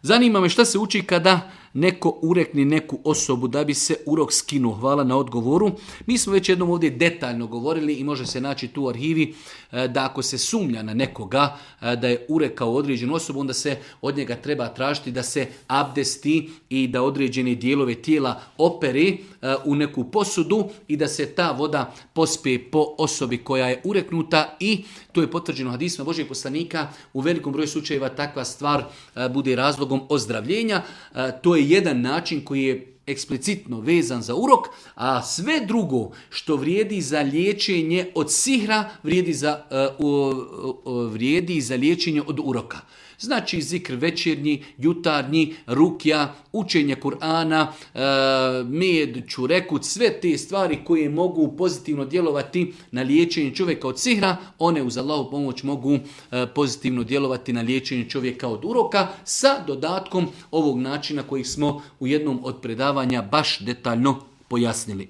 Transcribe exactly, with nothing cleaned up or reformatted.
Zanima me šta se uči kada neko urekne neku osobu da bi se urok skinuo. Hvala na odgovoru. Mi smo već jednom ovdje detaljno govorili i može se naći tu u arhivi da ako se sumnja na nekoga da je urekao određenu osobu, onda se od njega treba tražiti da se abdesti i da određene dijelove tijela opere u neku posudu i da se ta voda pospe po osobi koja je ureknuta i to je potvrđeno hadisima Božijeg poslanika. U velikom broju slučajeva takva stvar bude razlogom ozdravljenja. To je jedan način koji je eksplicitno vezan za urok, a sve drugo što vrijedi za liječenje od sihra vrijedi za, uh, uh, vrijedi za liječenje od uroka. Znači zikr večernji, jutarnji, rukja, učenje Kur'ana, e, med, čurekut, sve te stvari koje mogu pozitivno djelovati na liječenje čovjeka od sihra, one uz Allahu pomoć mogu e, pozitivno djelovati na liječenje čovjeka od uroka sa dodatkom ovog načina kojih smo u jednom od predavanja baš detaljno pojasnili.